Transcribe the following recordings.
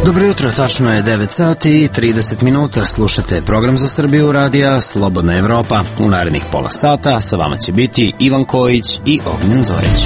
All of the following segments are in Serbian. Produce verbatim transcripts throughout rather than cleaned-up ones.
Dobro jutro, tačno je devet sati i trideset minuta, slušate program za Srbiju radija Slobodna Evropa. U narednih pola sata sa vama će biti Ivan Kojić i Ognjen Zorić.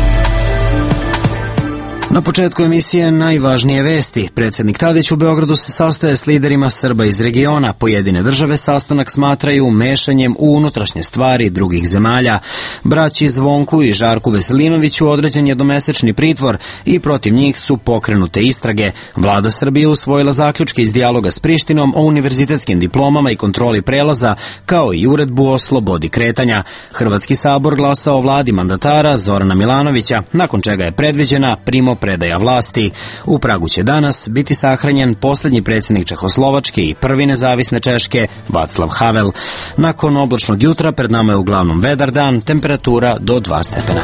Na početku emisije najvažnije vesti. Predsjednik Tadić u Beogradu se sastaje s liderima Srba iz regiona. Pojedine države sastanak smatraju mešanjem u unutrašnje stvari drugih zemalja. Braći Zvonku i Žarku Veselinoviću određen jednomesečni pritvor i protiv njih su pokrenute istrage. Vlada Srbije usvojila zaključke iz dijaloga s Prištinom o univerzitetskim diplomama i kontroli prelaza, kao i uredbu o slobodi kretanja. Hrvatski sabor glasao o vladi mandatara Zorana Milanovića, nakon čega je predviđena primo predaja vlasti. U Pragu će danas biti sahranjen posljednji predsjednik Čehoslovačke i prvi nezavisne Češke, Václav Havel. Nakon oblačnog jutra pred nama je uglavnom vedar dan, temperatura do dva stepena.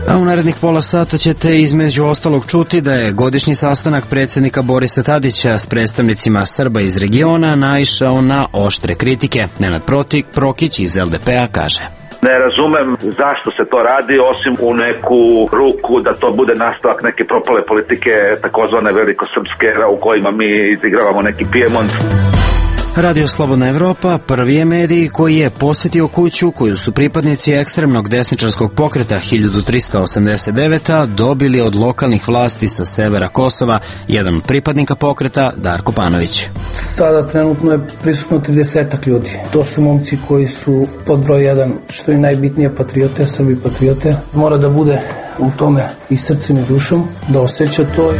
A u narednih pola sata ćete između ostalog čuti da je godišnji sastanak predsjednika Borisa Tadića s predstavnicima Srba iz regiona naišao na oštre kritike. Nenad Prokić iz L D P-a kaže: Ne razumem zašto se to radi, osim u neku ruku da to bude nastavak neke propale politike takozvane velikosrpske, u kojima mi izigravamo neki Pijemont. Radio Slobodna Evropa prvi je medij koji je posjetio kuću koju su pripadnici ekstremnog desničarskog pokreta hiljadu trista osamdeset devete. dobili od lokalnih vlasti sa severa Kosova. Jedan od pripadnika pokreta, Darko Panović. Sada trenutno je prisutno tridesetak ljudi. To su momci koji su pod broj jedan, što je najbitnije, patriote, Srbi patriote. Mora da bude u tome i srcem i dušom, da osjeća to.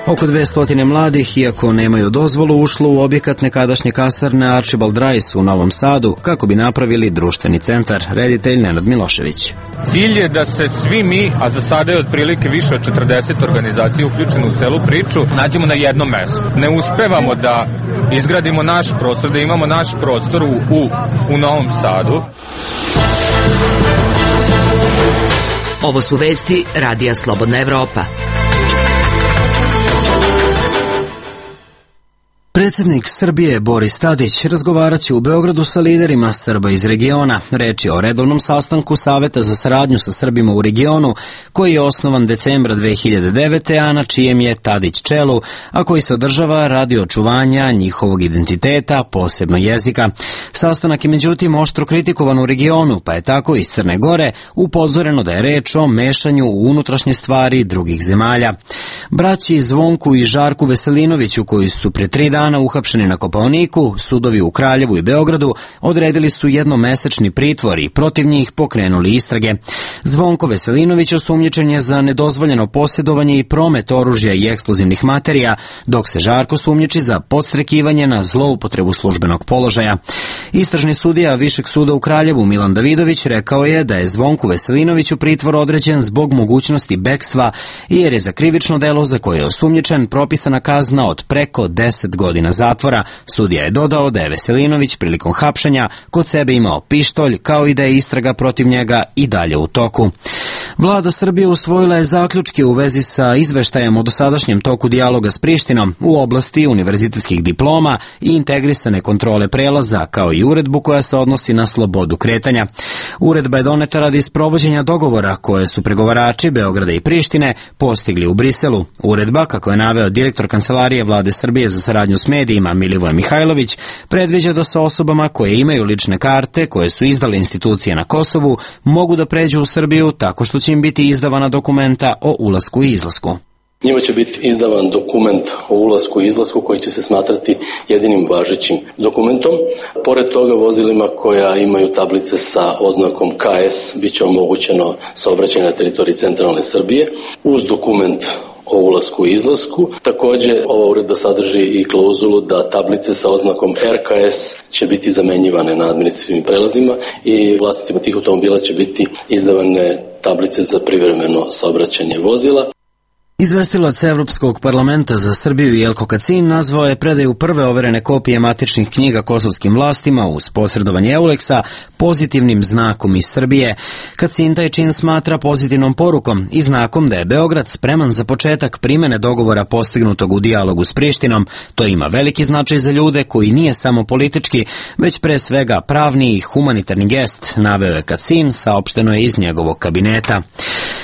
Oko dvesta mladih, iako nemaju dozvolu, ušlo u objekat nekadašnje kasarne Archibald Rice u Novom Sadu kako bi napravili društveni centar. Reditelj Nenad Milošević. Cilj je da se svi mi, a za sada je otprilike više od četrdeset organizacija uključeno u celu priču, nađemo na jednom mestu. Ne uspevamo da izgradimo naš prostor, da imamo naš prostor u, u, u Novom Sadu. Ovo su vesti Radija Slobodna Evropa. Predsjednik Srbije Boris Tadić razgovarat će u Beogradu sa liderima Srba iz regiona. Reč je o redovnom sastanku Saveta za saradnju sa Srbima u regionu, koji je osnovan decembra dve hiljade devete. a na čijem je Tadić čelu, a koji se održava radi očuvanja njihovog identiteta, posebno jezika. Sastanak je međutim oštro kritikovan u regionu, pa je tako iz Crne Gore upozoreno da je reč o mešanju u unutrašnje stvari drugih zemalja. Braći Zvonku i Žarku Veselinoviću, koji su pre tri dana uhapšeni na Kopaoniku, sudovi u Kraljevu i Beogradu odredili su jednomesečni pritvor i protiv njih pokrenuli istrage. Zvonko Veselinović osumnjičen je za nedozvoljeno posjedovanje i promet oružja i eksplozivnih materija, dok se Žarko sumnjiči za podstrekivanje na zloupotrebu službenog položaja. Istražni sudija Višeg suda u Kraljevu Milan Davidović rekao je da je Zvonku Veselinoviću pritvor određen zbog mogućnosti bekstva i jer je za krivično delo za koje je osumnjičen propisana kazna od preko deset godina zatvora. Sudija je dodao da je Veselinović prilikom hapšenja kod sebe imao pištolj, kao i da je istraga protiv njega i dalje u toku. Vlada Srbije usvojila je zaključke u vezi sa izveštajem o dosadašnjem toku dijaloga s Prištinom u oblasti univerzitetskih diploma i integrisane kontrole prelaza, kao i uredbu koja se odnosi na slobodu kretanja. Uredba je doneta radi sprovođenja dogovora koje su pregovarači Beograda i Prištine postigli u Briselu. Uredba, kako je naveo direktor Kancelarije Vlade Srbije za saradnju s medijima Milivoje Mihajlović, predviđa da sa osobama koje imaju lične karte koje su izdale institucije na Kosovu mogu da pređu u Srbiju tako što će im biti izdavana dokumenta o ulasku i izlasku. Njima će biti izdavan dokument o ulasku i izlasku koji će se smatrati jedinim važećim dokumentom. Pored toga, vozilima koja imaju tablice sa oznakom K S bit će omogućeno saobraćaj na teritoriji centralne Srbije uz dokument o ulasku i izlasku. Također, ova uredba sadrži i klauzulu da tablice sa oznakom R K S će biti zamenjivane na administrativnim prelazima i vlasnicima tih automobila će biti izdavane tablice za privremeno saobraćanje vozila. Izvestilac Evropskog parlamenta za Srbiju Jelko Kacin nazvao je predaju prve overene kopije matičnih knjiga kosovskim vlastima uz posredovanje Euleksa pozitivnim znakom iz Srbije. Kacin taj čin smatra pozitivnom porukom i znakom da je Beograd spreman za početak primene dogovora postignutog u dijalogu s Prištinom. To ima veliki značaj za ljude koji nije samo politički, već pre svega pravni i humanitarni gest, naveo je Kacin, saopšteno je iz njegovog kabineta.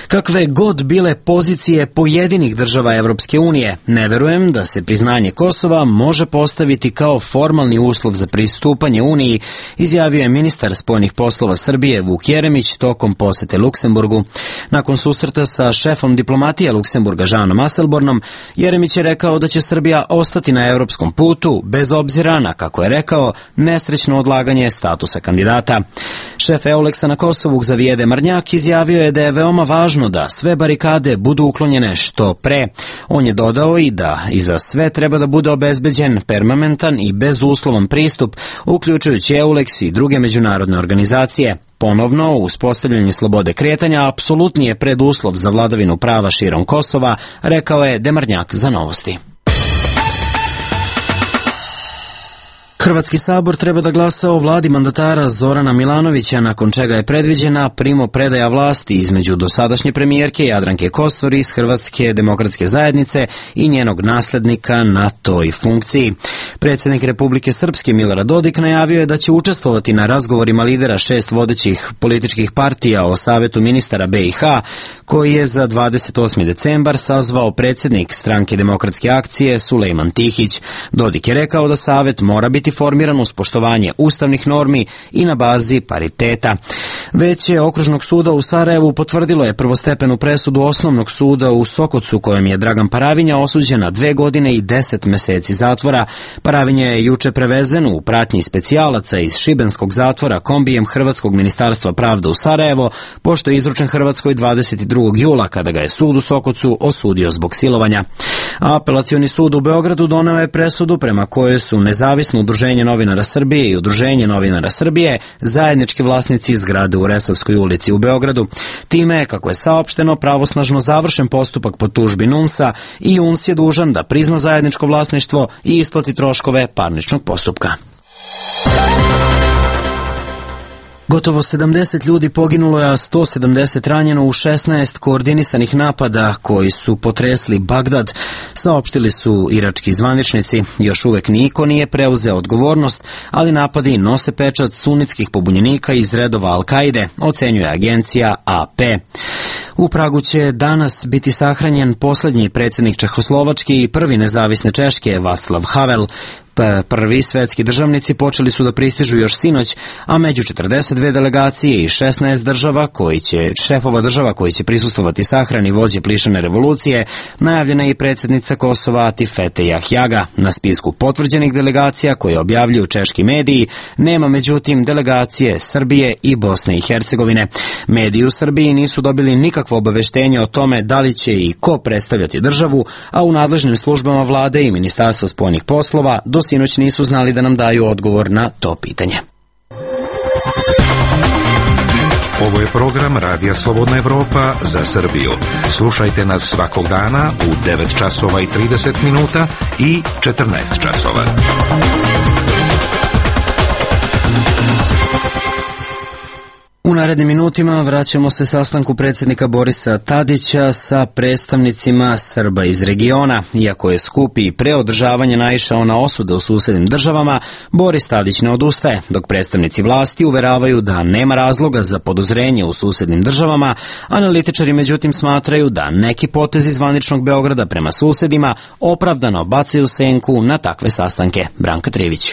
Kakve god bile pozicije pojedinih država Evropske unije, ne verujem da se priznanje Kosova može postaviti kao formalni uslov za pristupanje Uniji, izjavio je ministar spoljnih poslova Srbije Vuk Jeremić tokom posete Luksemburgu. Nakon susreta sa šefom diplomatije Luksemburga Žanom Asselbornom, Jeremić je rekao da će Srbija ostati na evropskom putu, bez obzira na, kako je rekao, nesrećno odlaganje statusa kandidata. Šef Euleksa na Kosovu Xavier Marnjak izjavio je da je veoma važno da sve barikade budu uklonjene što pre. On je dodao i da iza sve treba da bude obezbeđen permanentan i bezuslovan pristup, uključujući Euleks i druge međunarodne organizacije. Ponovno, uspostavljanje slobode kretanja apsolutni je preduslov za vladavinu prava širom Kosova, rekao je Demarnjak za Novosti. Hrvatski sabor treba da glasa o vladi mandatara Zorana Milanovića, nakon čega je predviđena primopredaja vlasti između dosadašnje premijerke Jadranke Kosor iz Hrvatske demokratske zajednice i njenog naslednika na toj funkciji. Predsjednik Republike Srpske Milorad Dodik najavio je da će učestvovati na razgovorima lidera šest vodećih političkih partija o Savetu ministara B i H, koji je za dvadeset osmi decembar sazvao predsjednik Stranke demokratske akcije Sulejman Tihić. Dodik je rekao da Savet mora biti formiran uz poštovanje ustavnih normi i na bazi pariteta. Veće Okružnog suda u Sarajevu potvrdilo je prvostepenu presudu Osnovnog suda u Sokocu, kojom je Dragan Paravinja osuđen na dve godine i deset meseci zatvora. Paravinja je juče prevezen u pratnji specijalaca iz šibenskog zatvora kombijem Hrvatskog ministarstva pravde u Sarajevo, pošto je izručen Hrvatskoj dvadeset drugog jula, kada ga je sud u Sokocu osudio zbog silovanja. Apelacioni sud u Beogradu doneo je presudu prema kojoj su nezavisno Udruženje novinara Srbije i Udruženje novinara Srbije zajednički vlasnici zgrade u Resavskoj ulici u Beogradu. Time je, kako je saopšteno, pravosnažno završen postupak po tužbi NUNS-a i U N S je dužan da prizna zajedničko vlasništvo i isplati troškove parničnog postupka. Gotovo sedamdeset ljudi poginulo je, a sto sedamdeset ranjeno u šesnaest koordinisanih napada koji su potresli Bagdad, saopštili su irački zvaničnici. Još uvek niko nije preuzeo odgovornost, ali napadi nose pečat sunitskih pobunjenika iz redova Al-Kaide, ocenjuje agencija A P. U Pragu će danas biti sahranjen poslednji predsjednik Čehoslovačke i prvi nezavisne Češke, Václav Havel. Prvi svetski državnici počeli su da pristižu još sinoć, a među četrdeset dve delegacije i šesnaest država koji će, šefova država koji će prisustvovati sahrani vođe plišane revolucije, najavljena je i predsjednica Kosova Atifete Jahjaga. Na spisku potvrđenih delegacija koje objavljuju češki mediji nema međutim delegacije Srbije i Bosne i Hercegovine. Mediji u Srbiji nisu dobili nikakvo obaveštenje o tome da li će i ko predstavljati državu, a u nadležnim službama vlade i Ministarstva spoljnih poslova do sinoć nisu znali da nam daju odgovor na to pitanje. Ovo je program Radija Slobodna Evropa za Srbiju. Slušajte nas svakog dana u devet časova i trideset minuta i četrnaest časova. U narednim minutima vraćamo se sastanku predsjednika Borisa Tadića sa predstavnicima Srba iz regiona. Iako je skup i pre održavanja naišao na osude u susednim državama, Boris Tadić ne odustaje, dok predstavnici vlasti uveravaju da nema razloga za podozrenje u susednim državama. Analitičari međutim smatraju da neki potezi zvaničnog Beograda prema susedima opravdano bacaju senku na takve sastanke. Branka Trivić.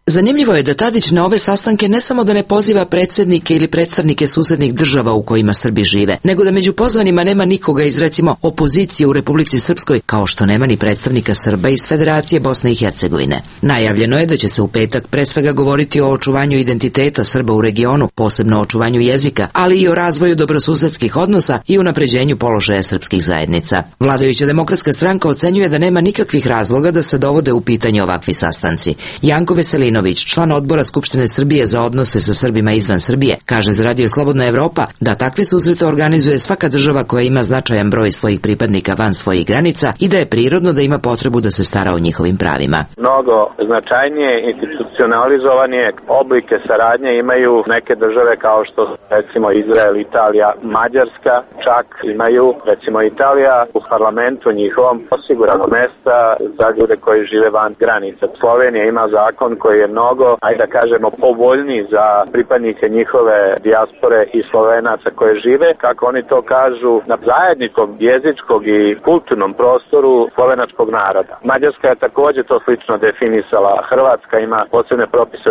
Zanimljivo je da Tadić na ove sastanke ne samo da ne poziva predsjednike ili predstavnike susednih država u kojima Srbi žive, nego da među pozvanima nema nikoga iz, recimo, opozicije u Republici Srpskoj, kao što nema ni predstavnika Srba iz Federacije Bosne i Hercegovine. Najavljeno je da će se u petak pre svega govoriti o očuvanju identiteta Srba u regionu, posebno o očuvanju jezika, ali i o razvoju dobrosusedskih odnosa i unapređenju položaja srpskih zajednica. Vladajuća demokratska stranka ocenjuje da nema nikakvih razloga da se dovode u pitanje ovakvi sastanci. Janko Veselinović Veselinović, član odbora Skupštine Srbije za odnose sa Srbima izvan Srbije, kaže za Radio Slobodna Evropa da takve susrete organizuje svaka država koja ima značajan broj svojih pripadnika van svojih granica i da je prirodno da ima potrebu da se stara o njihovim pravima. Mnogo značajnije institucionalizovanije oblike saradnje imaju neke države kao što recimo Izrael, Italija, Mađarska, čak imaju recimo Italija u parlamentu njihovom osigurano mesta za ljude koji žive van granica. Slovenija ima zakon koji je mnogo, ajde da kažemo, povoljniji za pripadnike njihove dijaspore i Slovenaca koje žive, kako oni to kažu, na zajedničkom jezičkog i kulturnom prostoru slovenačkog naroda. Mađarska je također to slično definisala, Hrvatska ima posebne propise.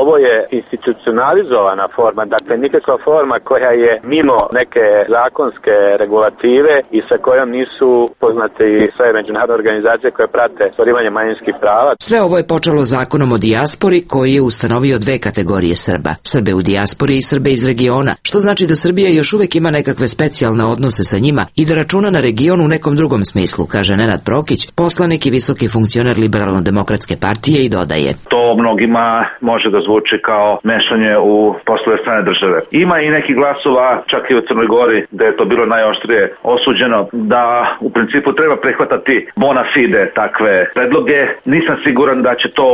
Ovo je institucionalizovana forma, dakle nikakva forma koja je mimo neke zakonske regulative i sa kojom nisu poznate i sve međunarodne organizacije koje prate ostvarivanje manjinskih prava. Sve ovo je počelo zakonom o dijaspori koji je ustanovio dve kategorije Srba. Srbe u dijaspori i Srbe iz regiona, što znači da Srbija još uvek ima nekakve specijalne odnose sa njima i da računa na region u nekom drugom smislu, kaže Nenad Prokić, poslanik i visoki funkcioner Liberalno-demokratske partije i dodaje. To mnogima može da zvuči kao mešanje u poslove strane države. Ima i neki glasova, čak i u Crnoj Gori, da je to bilo najoštrije osuđeno, da u principu treba prihvatati bona fide takve predloge. Nisam siguran da će to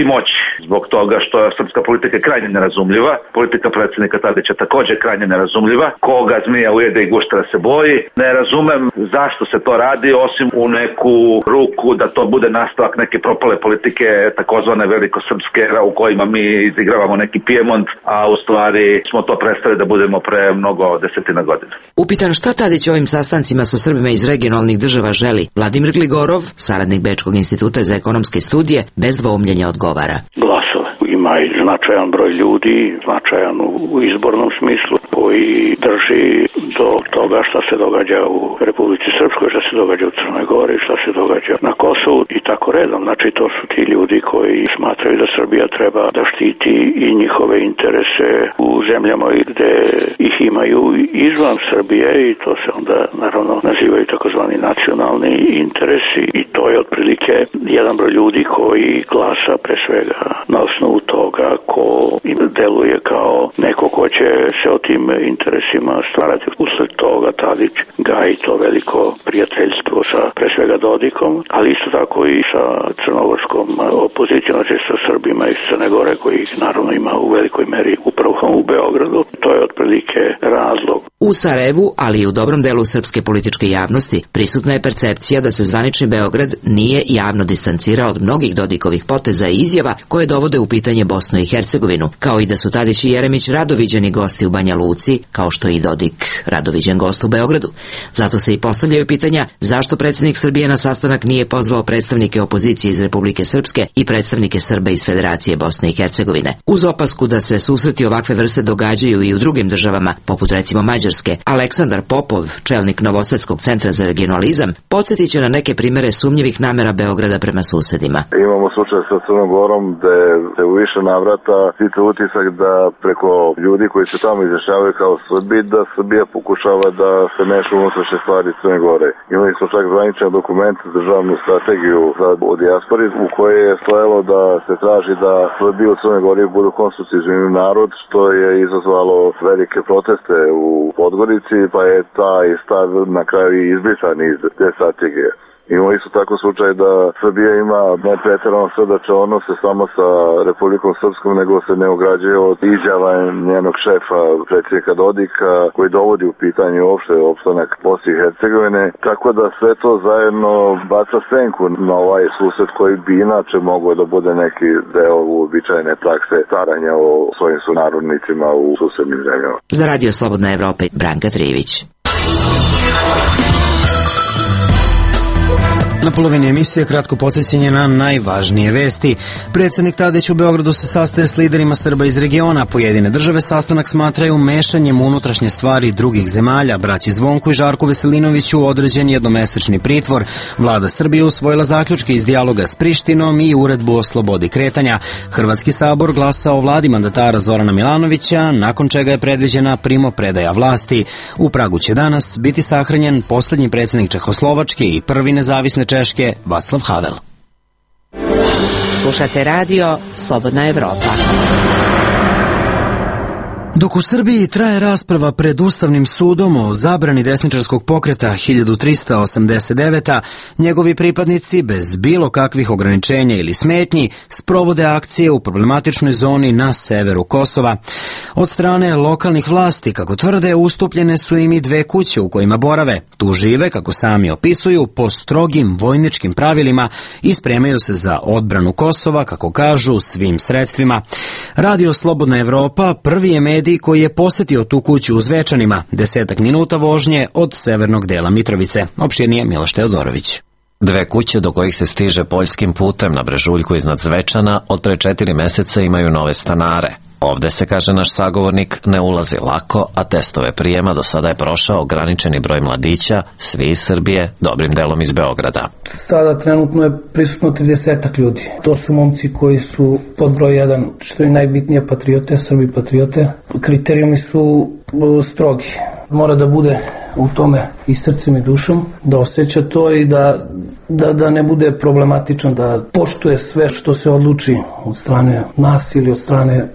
i moći, zbog toga što je srpska politika krajnje nerazumljiva. Politika predsjednika Tadića također krajnje nerazumljiva. Koga zmija ujede i guštera se boji. Ne razumem zašto se to radi, osim u neku ruku da to bude nastavak neke propale politike, takozvane velikosrpske, u kojima mi izigravamo neki Pijemont, a u stvari smo to prestali da budemo pre mnogo desetina godina. Upitan šta Tadić ovim sastancima sa Srbima iz regionalnih država želi, Vladimir Gligorov, saradnik Bečkog instituta za ekonomske studije, bez dvoumljenja odgovara. Glasove. Ima i značajan broj ljudi, značajan u izbornom smislu, koji drži do toga šta se događa u Republici Srpskoj, šta se događa u Crnoj Gori, šta se događa na Kosovu i tako redom. Znači to su ti ljudi koji smatraju da Srbija treba da štiti i njihove interese u zemljama gde ih imaju izvan Srbije i to se onda naravno nazivaju takozvani nacionalni interesi i to je otprilike jedan broj ljudi koji glasa pre svega na osnovu toga ko im deluje kao neko ko će se o tim interesima stvarati. Usled toga Tadić gaji to veliko prijateljstvo sa pre svega Dodikom, ali isto tako i sa crnogorskom opozicijom, znači sa Srbima iz Crne Gore, koji ih naravno ima u velikoj meri upravo u Beogradu. To je otprilike razlog. U Sarajevu, ali i u dobrom delu srpske političke javnosti, prisutna je percepcija da se zvanični Beograd nije javno distancirao od mnogih Dodikovih poteza i izjava koje dovode u pitanje Bosnu i Hercegovinu, kao i da su Tadić i Jeremić radoviđeni gosti u Banja Luci, kao što i Dodik radoviđen gost u Beogradu. Zato se i postavljaju pitanja zašto predsjednik Srbije na sastanak nije pozvao predstavnike opozicije iz Republike Srpske i predstavnike Srba iz Federacije Bosne i Hercegovine. Uz opasku da se susreti ovakve vrste događaju i u drugim državama, poput recimo Mađarske, Aleksandar Popov, čelnik Novosadskog centra za regionalizam, podsjetit će na neke primere sumnjivih namera Beograda prema susedima. Imamo slučaj sa Crnom Gorom gde se u više navrata stiče utisak da preko ljudi koji se tamo izjašnjavaju kao Srbi, da Srbija pokušava da se meša u unutrašnje stvari Crne Gore. Imali smo čak zvaničan dokument, državnu strategiju za o dijaspori, u kojoj je stojalo da se traži da Srbi u Crnoj Gori budu konstitutivni narod, što je izazvalo velike proteste u Podgorici, pa je taj stav na kraju izbrisan iz te strategije. Imamo isto tako slučaj da Srbija ima ne pretjerano srdače odnose samo sa Republikom Srpskom, nego se ne ograđuje od izjava njenog šefa, predsjednika Dodika, koji dovodi u pitanje uopšte opstanak Bosne i Hercegovine. Tako da sve to zajedno baca senku na ovaj susret koji bi inače mogao da bude neki deo uobičajene prakse staranja o svojim sunarodnicima u susednim zemljama. Za Radio Slobodna Evropa, Branka Trijević. Na polovini emisije kratko podsjećanje na najvažnije vesti. Predsjednik Tadić u Beogradu se sastaje s liderima Srba iz regiona. Pojedine države sastanak smatraju mešanjem u unutrašnje stvari drugih zemalja. Braći Zvonku i Žarku Veselinoviću određen jednomesečni pritvor. Vlada Srbije usvojila zaključke iz dijaloga s Prištinom i uredbu o slobodi kretanja. Hrvatski sabor glasa o vladi mandatara Zorana Milanovića, nakon čega je predviđena primopredaja vlasti. U Pragu će danas biti sahranjen posljednji predsjednik Čehoslovačke i prvi nezavisne Češke, Václav Havel. Slušate radio Slobodna Evropa. Dok u Srbiji traje rasprava pred Ustavnim sudom o zabrani desničarskog pokreta hiljadu trista osamdeset deveta, njegovi pripadnici bez bilo kakvih ograničenja ili smetnji sprovode akcije u problematičnoj zoni na severu Kosova. Od strane lokalnih vlasti, kako tvrde, ustupljene su im i dve kuće u kojima borave. Tu žive, kako sami opisuju, po strogim vojničkim pravilima i spremaju se za odbranu Kosova, kako kažu, svim sredstvima. Radio Slobodna Evropa prvi je medij koji je posetio tu kuću u Zvečanima, desetak minuta vožnje od severnog dela Mitrovice. Opširnije Miloš Teodorović. Dve kuće do kojih se stiže poljskim putem na brežuljku iznad Zvečana od pre četiri meseca imaju nove stanare. Ovde se, kaže naš sagovornik, ne ulazi lako, a testove prijema do sada je prošao ograničeni broj mladića, svi iz Srbije, dobrim delom iz Beograda. Sada trenutno je prisutno tridesetak ljudi. To su momci koji su pod broj jedan, što je najbitnije, patriote, Srbi patriote. Kriterijumi su strogi. Mora da bude u tome i srcem i dušom, da osjeća to i da, da, da ne bude problematičan, da poštuje sve što se odluči od strane nas ili od strane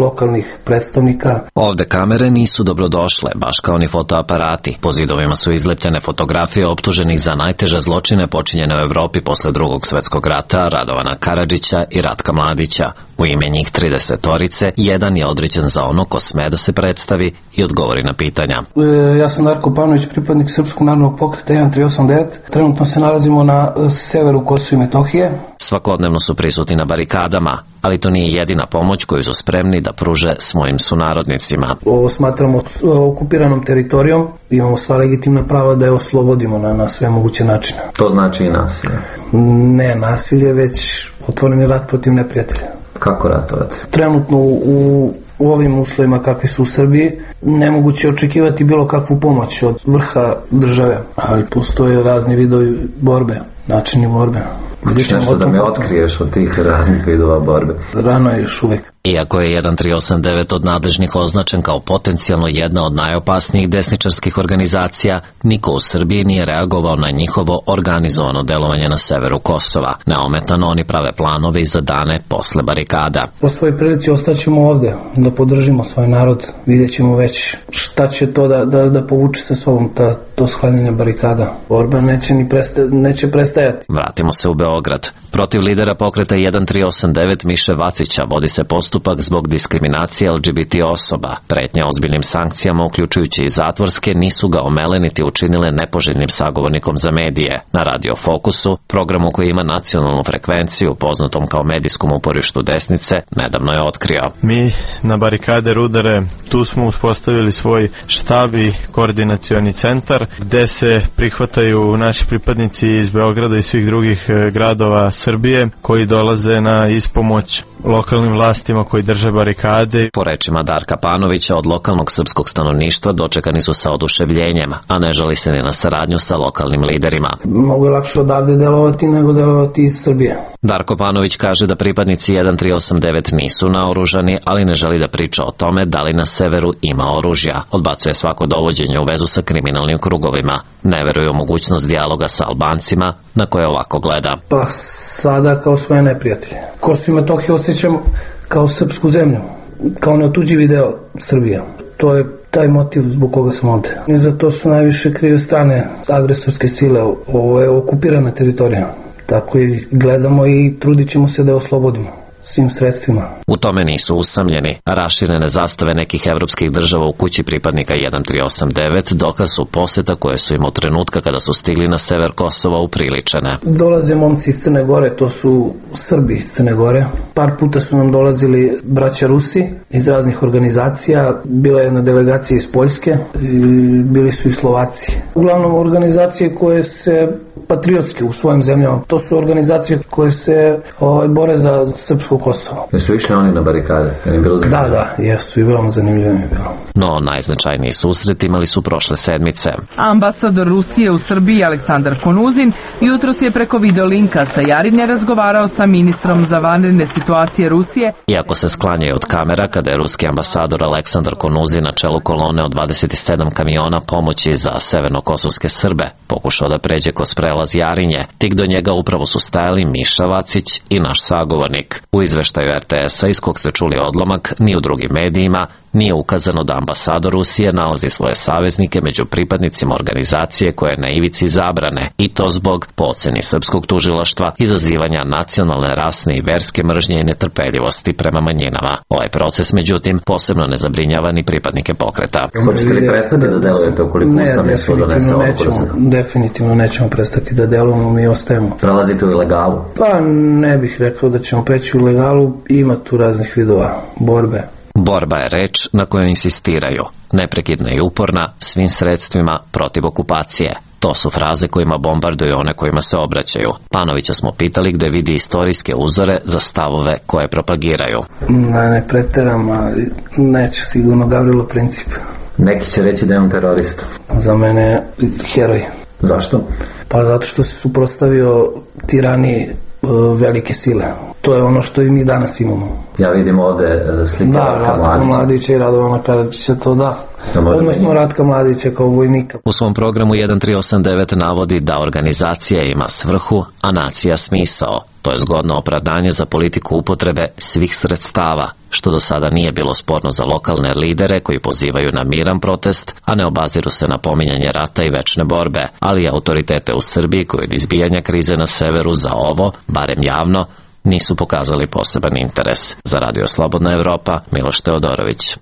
lokalnih predstavnika. Ovde kamere nisu dobrodošle, baš kao ni fotoaparati. Po zidovima su izlepljene fotografije optuženih za najteže zločine počinjene u Evropi posle drugog svetskog rata, Radovana Karadžića i Ratka Mladića. U ime njih tridesetorice, jedan je određen za ono ko sme da se predstavi i odgovori na pitanja. E, ja sam Darko Panović, pripadnik Srpskog narodnog pokreta jedan tri osam devet. Trenutno se nalazimo na severu Kosova i Metohije. Svakodnevno su prisutni na barikadama, ali to nije jedina pomoć koju su spremni da pruže svojim sunarodnicima. Ovo smatramo okupiranom teritorijom, imamo sva legitimna prava da je oslobodimo na, na sve moguće načine. To znači i nasilje? Ne nasilje, već otvoreni rat protiv neprijatelja. Kako ratovati? Trenutno u, u ovim uslovima kakvi su u Srbiji nemoguće očekivati bilo kakvu pomoć od vrha države, ali postoje razni vidovi borbe, načini borbe. Hoćeš nešto da me otkriješ od tih raznih vidova borbe? Rano je još uvek. Iako je jedan tri osam devet od nadležnih označen kao potencijalno jedna od najopasnijih desničarskih organizacija, niko u Srbiji nije reagovao na njihovo organizovano delovanje na severu Kosova. Neometano oni prave planove i za dane posle barikada. Po svojoj prilici ostaćemo ovde, da podržimo svoj narod, vidjet ćemo već šta će to da, da, da povuče sa sobom ta, to sklanjanje barikada. Borba neće, ni presta, neće prestajati. Vratimo se u Beograd. Protiv lidera pokreta jedan tri osam devet Miše Vacića vodi se postupak zbog diskriminacije L G B T osoba. Pretnje ozbiljnim sankcijama, uključujući i zatvorske, nisu ga omele niti učinile nepoželjnim sagovornikom za medije. Na Radio Fokusu, programu koji ima nacionalnu frekvenciju, poznatom kao medijskom uporištu desnice, nedavno je otkrio. Mi na barikade Rudare, tu smo uspostavili svoj štab i koordinacioni centar, gde se prihvataju naši pripadnici iz Beograda i svih drugih gradova Srbije koji dolaze na ispomoć lokalnim vlastima koji drže barikade. Po rečima Darka Panovića, od lokalnog srpskog stanovništva dočekani su sa oduševljenjem, a ne žali se ni na saradnju sa lokalnim liderima. Mogu je lakše odavde delovati nego delovati iz Srbije. Darko Panović kaže da pripadnici jedan tri osam devet nisu naoružani, ali ne želi da priča o tome da li na severu ima oružja. Odbacuje svako dovođenje u vezu sa kriminalnim krugovima. Ne veruje u mogućnost dijaloga sa Albancima, na koje ovako gleda. Pa sada kao svoje neprijatelje. Kosovo i Metohiju osjećamo kao srpsku zemlju, kao neotuđivi deo Srbije. To je taj motiv zbog koga sam ovde. I za to su najviše krive strane agresorske sile. Ovo je okupirana teritorija. Tako i gledamo i trudit ćemo se da je oslobodimo svim sredstvima. U tome nisu usamljeni. Raširene zastave nekih evropskih država u kući pripadnika jedan tri osam devet dokaz su poseta koje su im od trenutka kada su stigli na sever Kosova upriličene. Dolaze momci iz Crne Gore, to su Srbi iz Crne Gore. Par puta su nam dolazili braća Rusi iz raznih organizacija. Bila je jedna delegacija iz Poljske, bili su i Slovaci. Uglavnom organizacije koje se patriotske u svojim zemljama. To su organizacije koje se ovaj, bore za srpsko Seversko Kosovo. Jesu išli oni na barikade? Je bilo da, da, jesu i veoma zanimljivo mi je bilo. No, najznačajniji susret imali su prošle sedmice. Ambasador Rusije u Srbiji Aleksandar Konuzin jutros je preko videolinka sa Jarinje razgovarao sa ministrom za vanredne situacije Rusije. Iako se sklanjaju od kamera kada je ruski ambasador Aleksandar Konuzin na čelu kolone od dvadeset sedam kamiona pomoći za severnokosovske Srbe pokušao da pređe kroz prelaz Jarinje, tik do njega upravo su stajali Miša Vacić i naš sagovornik. U izveštaju er te es-a iz kog ste čuli odlomak, ni u drugim medijima nije ukazano da ambasador Rusije nalazi svoje saveznike među pripadnicima organizacije koja je na ivici zabrane, i to zbog, po oceni srpskog tužilaštva, izazivanja nacionalne, rasne i verske mržnje i netrpeljivosti prema manjinama. Ovaj proces, međutim, posebno ne zabrinjava ni pripadnike pokreta. Hoćete li prestati da delujete ukoliko Ustavni sud donese odluku? Definitivno nećemo prestati da delujemo, mi ostajemo. Prelazite u ilegalu? Pa ne bih rekao da ćemo preći u ilegalu, ima tu raznih vidova borbe. Borba je reč na kojoj insistiraju, neprekidna i uporna, svim sredstvima protiv okupacije. To su fraze kojima bombarduju one kojima se obraćaju. Panovića smo pitali gde vidi istorijske uzore za stavove koje propagiraju. Ne, ne preteram, ali neću sigurno Gavrilo Princip. Neki će reći da je on terorista. Za mene je heroj. Zašto? Pa zato što se suprotstavio tirani velike sile. To je ono što i mi danas imamo. Ja vidim ovde slike da, Ratka Mladića. Ratka Mladića i Radovana Karadžića, to da. da Odnosno Ratka Mladića kao vojnika. U svom programu jedan tri osam devet navodi da organizacija ima svrhu, a nacija smisao. To je zgodno opravdanje za politiku upotrebe svih sredstava, što do sada nije bilo sporno za lokalne lidere koji pozivaju na miran protest, a ne obaziru se na pominjanje rata i večne borbe, ali i autoritete u Srbiji koji od izbijanja krize na severu za ovo, barem javno, nisu pokazali poseban interes. Za Radio Slobodna Evropa, Miloš Teodorović.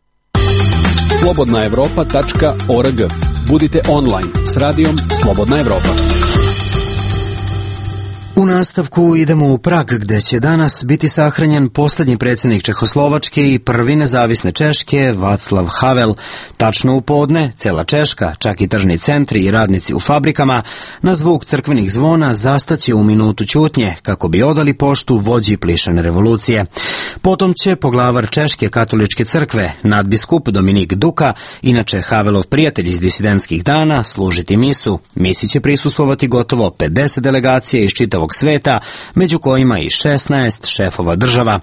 slobodna evropa tačka org. Budite online s radijom Slobodna Evropa. U nastavku idemo u Prag, gde će danas biti sahranjen poslednji predsjednik Čehoslovačke i prvi nezavisne Češke, Václav Havel. Tačno u podne, cela Češka, čak i tržni centri i radnici u fabrikama, na zvuk crkvenih zvona zastaće u minutu ćutnje, kako bi odali poštu vođi plišane revolucije. Potom će poglavar Češke katoličke crkve, nadbiskup Dominik Duka, inače Havelov prijatelj iz disidentskih dana, služiti misu. Misi će prisustvovati gotovo pedeset delegacija iz čitavog sveta, među kojima i šesnaest šefova država.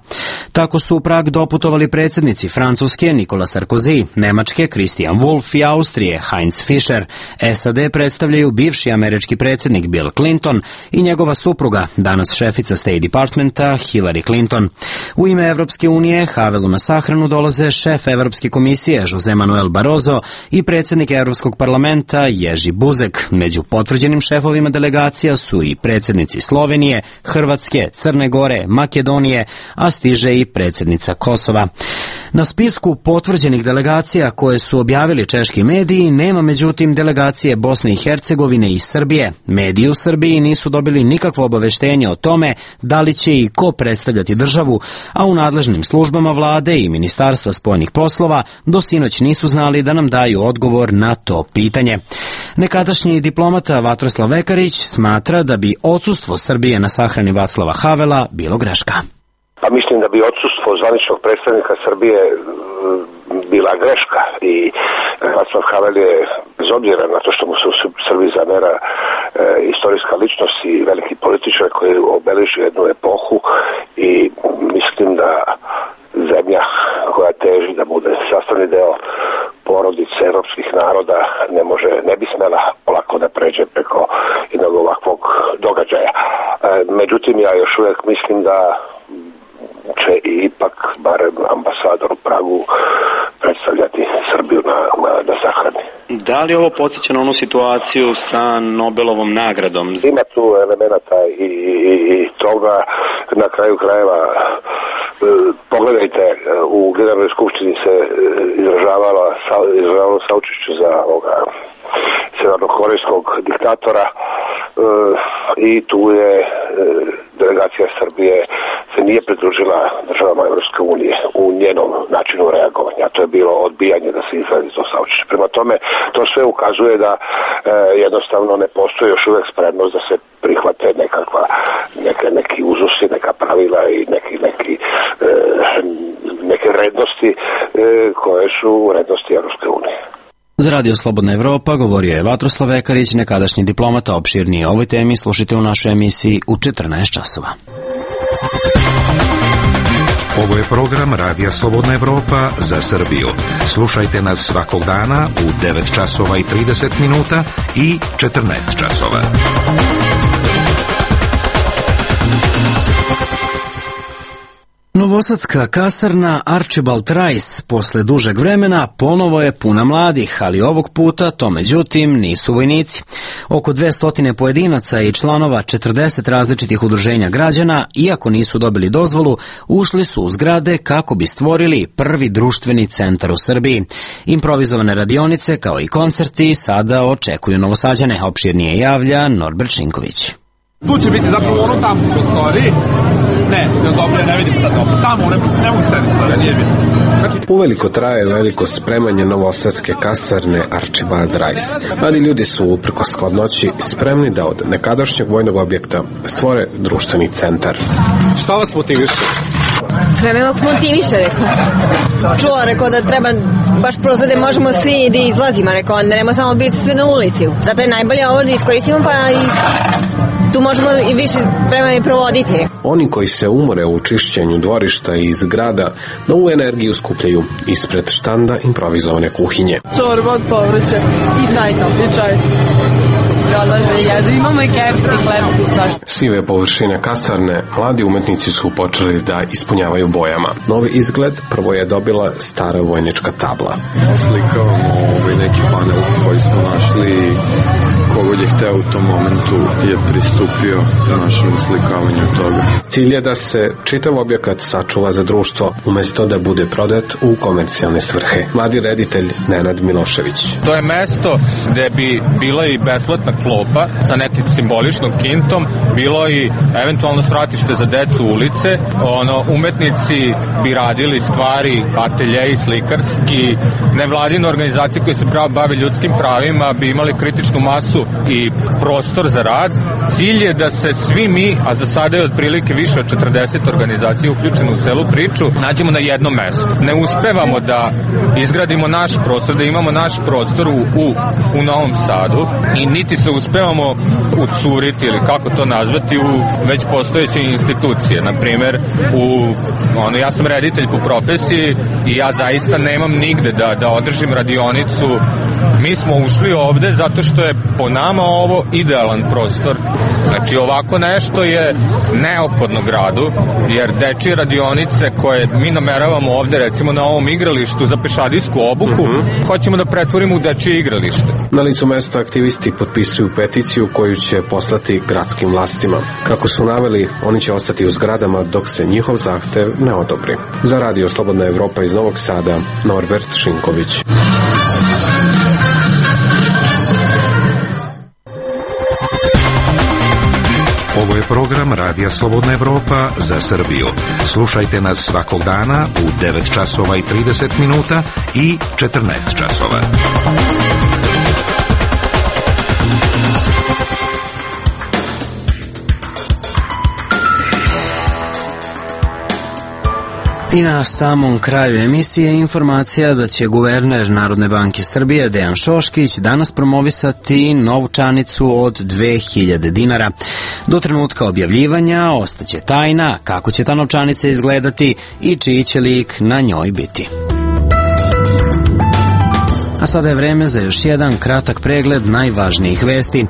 Tako su u Prag doputovali predsjednici Francuske Nikola Sarkozy, Nemačke Christian Wolff i Austrije Heinz Fischer. es a de predstavljaju bivši američki predsjednik Bill Clinton i njegova supruga, danas šefica State Departmenta Hillary Clinton. U ime Evropske unije Havelu na sahranu dolaze šef Evropske komisije Jose Manuel Barroso i predsjednik Evropskog parlamenta Jerzy Buzek. Među potvrđenim šefovima delegacija su i predsjednici Slovenije, Hrvatske, Crne Gore, Makedonije, a stiže i predsjednica Kosova. Na spisku potvrđenih delegacija koje su objavili češki mediji nema međutim delegacije Bosne i Hercegovine i Srbije. Mediji u Srbiji nisu dobili nikakvo obaveštenje o tome da li će i ko predstavljati državu, a u nadležnim službama vlade i Ministarstva spoljnih poslova do sinoć nisu znali da nam daju odgovor na to pitanje. Nekadašnji diplomata Vatroslav Vekarić smatra da bi odsustvo Srbije na sahrani Václava Havela bilo greška. Pa mislim da bi odsustvo zvaničnog predstavnika Srbije bila greška i Václav Havel je, bez obzira na to što mu se u Srbiji zamera e, istorijska ličnost i veliki političar koji obeleži jednu epohu, i mislim da zemlja koja teži da bude sastavni deo porodice evropskih naroda ne može, ne bi smela olako da pređe preko jednog ovakvog događaja. E, međutim, ja još uvijek mislim da će ipak barem ambasador u Pragu predstavljati Srbiju na, na, na sahrani. Da li ovo podsjeća na onu situaciju sa Nobelovom nagradom? Ima tu elemenata i, i, i toga. Na kraju krajeva pogledajte, u Generalnoj skupštini se izražavalo, izražavalo saučešće za ovoga severnokorejskog diktatora i tu je delegacija Srbije se nije pridružila državama Evropske unije u njenom načinu reagovanja. To je bilo odbijanje da se izradi to saučešće. Prema tome, to sve ukazuje da e, jednostavno ne postoji još uvijek spremnost da se prihvate nekakva, neke, neki uzusi, neka pravila i neki, neki neki neke vrednosti koje su vrednosti Evropske unije. Za Radio Slobodna Evropa govorio je Vatroslav Vekarić, nekadašnji diplomata. Opširnije o ovoj temi slušajte u našoj emisiji u četrnaest časova. Ovo je program Radija Slobodna Evropa za Srbiju. Slušajte nas svakog dana u devet časova i trideset minuta i četrnaest časova. Novosadska kasarna Archibald Rice posle dužeg vremena ponovo je puna mladih, ali ovog puta to međutim nisu vojnici. Oko dvesta pojedinaca i članova četrdeset različitih udruženja građana, iako nisu dobili dozvolu, ušli su u zgrade kako bi stvorili prvi društveni centar u Srbiji. Improvizovane radionice kao i koncerti sada očekuju Novosađane. Opširnije javlja Norbert Šinković. Tu će biti zapravo ono tamo u prostoriji. Ne, ne, dobro, ne vidim sad dobro. Tamo, ne, ne mogu srediti sada, nije vidim. Znači... Uveliko traje veliko spremanje novosadske kasarne Archibald Rice. Mladi ljudi su uprkos skladnoći spremni da od nekadašnjeg vojnog objekta stvore društveni centar. Šta vas motiviše? Sve me motiviše, rekao. Čula, rekao da treba baš prozor da možemo svi da izlazimo, rekao, da nema samo biti sve na ulici. Zato je najbolje ovo da iskoristimo, pa i tu možemo i više vremena i provoditi. Oni koji se umore u čišćenju dvorišta i zgrada novu energiju skupljaju ispred štanda improvizovane kuhinje. Čorba od povrća i čaj to. I čaj. Imamo i kefir i hleb tu sad. Sive površine kasarne mladi umetnici su počeli da ispunjavaju bojama. Novi izgled prvo je dobila stara vojnička tabla. Oslikavamo ovaj neki panel koji smo našli. Kogod je hteo u tom momentu je pristupio našem oslikavanju toga. Cilj je da se čitav objekat sačuva za društvo umesto da bude prodat u komercijalne svrhe. Mladi reditelj Nenad Milošević. To je mesto gde bi bila i besplatna klopa sa nekim simboličnom kintom, bilo i eventualno svratište za decu ulice, ono, umetnici bi radili stvari, ateljeji, slikarski, nevladine organizacije koje se bave ljudskim pravima bi imali kritičnu masu i prostor za rad. Cilj je da se svi mi, a za sada je otprilike više od četrdeset organizacija uključeno u celu priču, nađemo na jednom mestu. Ne uspevamo da izgradimo naš prostor, da imamo naš prostor u, u, u Novom Sadu i niti se uspevamo ucuriti ili kako to nazvati u već postojeće institucije. Na primer, u, ono, ja sam reditelj po profesiji i ja zaista nemam nigde da, da održim radionicu. Mi smo ušli ovde zato što je po nama ovo idealan prostor. Znači ovako nešto je neophodno gradu, jer dečije radionice koje mi nameravamo ovde, recimo na ovom igralištu za pešadijsku obuku, mm-hmm. hoćemo da pretvorimo u dečije igralište. Na licu mesta aktivisti potpisuju peticiju koju će poslati gradskim vlastima. Kako su naveli, oni će ostati u zgradama dok se njihov zahtev ne odobri. Za Radio Slobodna Evropa iz Novog Sada, Norbert Šinković. Ovo je program Radija Slobodna Evropa za Srbiju. Slušajte nas svakog dana u devet časova i trideset minuta i četrnaest časova. I na samom kraju emisije informacija da će guverner Narodne banke Srbije Dejan Šoškić danas promovisati novčanicu od dve hiljade dinara. Do trenutka objavljivanja ostaće tajna kako će ta novčanica izgledati i čiji će lik na njoj biti. A sada je vreme za još jedan kratak pregled najvažnijih vesti.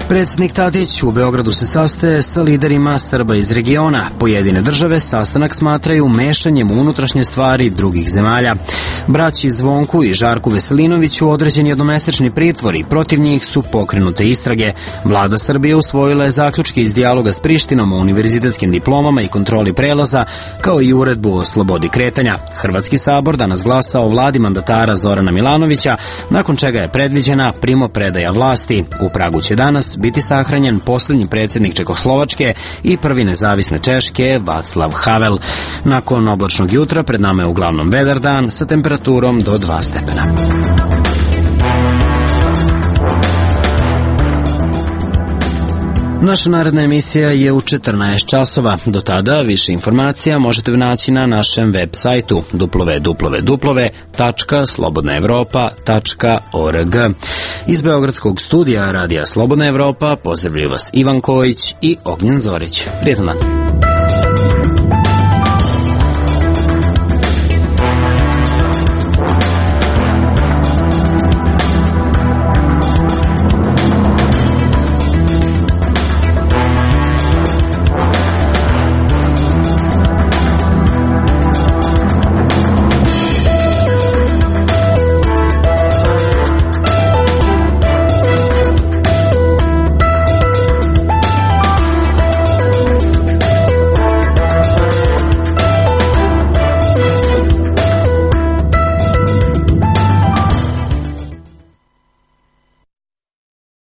Predsjednik Tadić u Beogradu se sastaje sa liderima Srba iz regiona. Pojedine države sastanak smatraju mešanjem u unutrašnje stvari drugih zemalja. Braći Zvonku i Žarku Veselinoviću određen jednomesečni pritvor i protiv njih su pokrenute istrage. Vlada Srbije usvojila je zaključke iz dijaloga s Prištinom o univerzitetskim diplomama i kontroli prelaza, kao i uredbu o slobodi kretanja. Hrvatski sabor danas glasa o vladi mandatara Zorana Milanovića, nakon čega je predviđena primopredaja vlasti. U Pragu će danas biti sahranjen posljednji predsjednik Čekoslovačke i prvi nezavisne Češke Václav Havel. Nakon oblačnog jutra pred nama je uglavnom vedar dan sa temperaturom do dva stepena. Naša naredna emisija je u četrnaest časova. Do tada više informacija možete naći na našem web sajtu w w w tačka slobodna evropa tačka org. Iz Beogradskog studija Radija Slobodna Evropa pozdravljaju vas Ivan Kojić i Ognjen Zorić. Prijetan dan.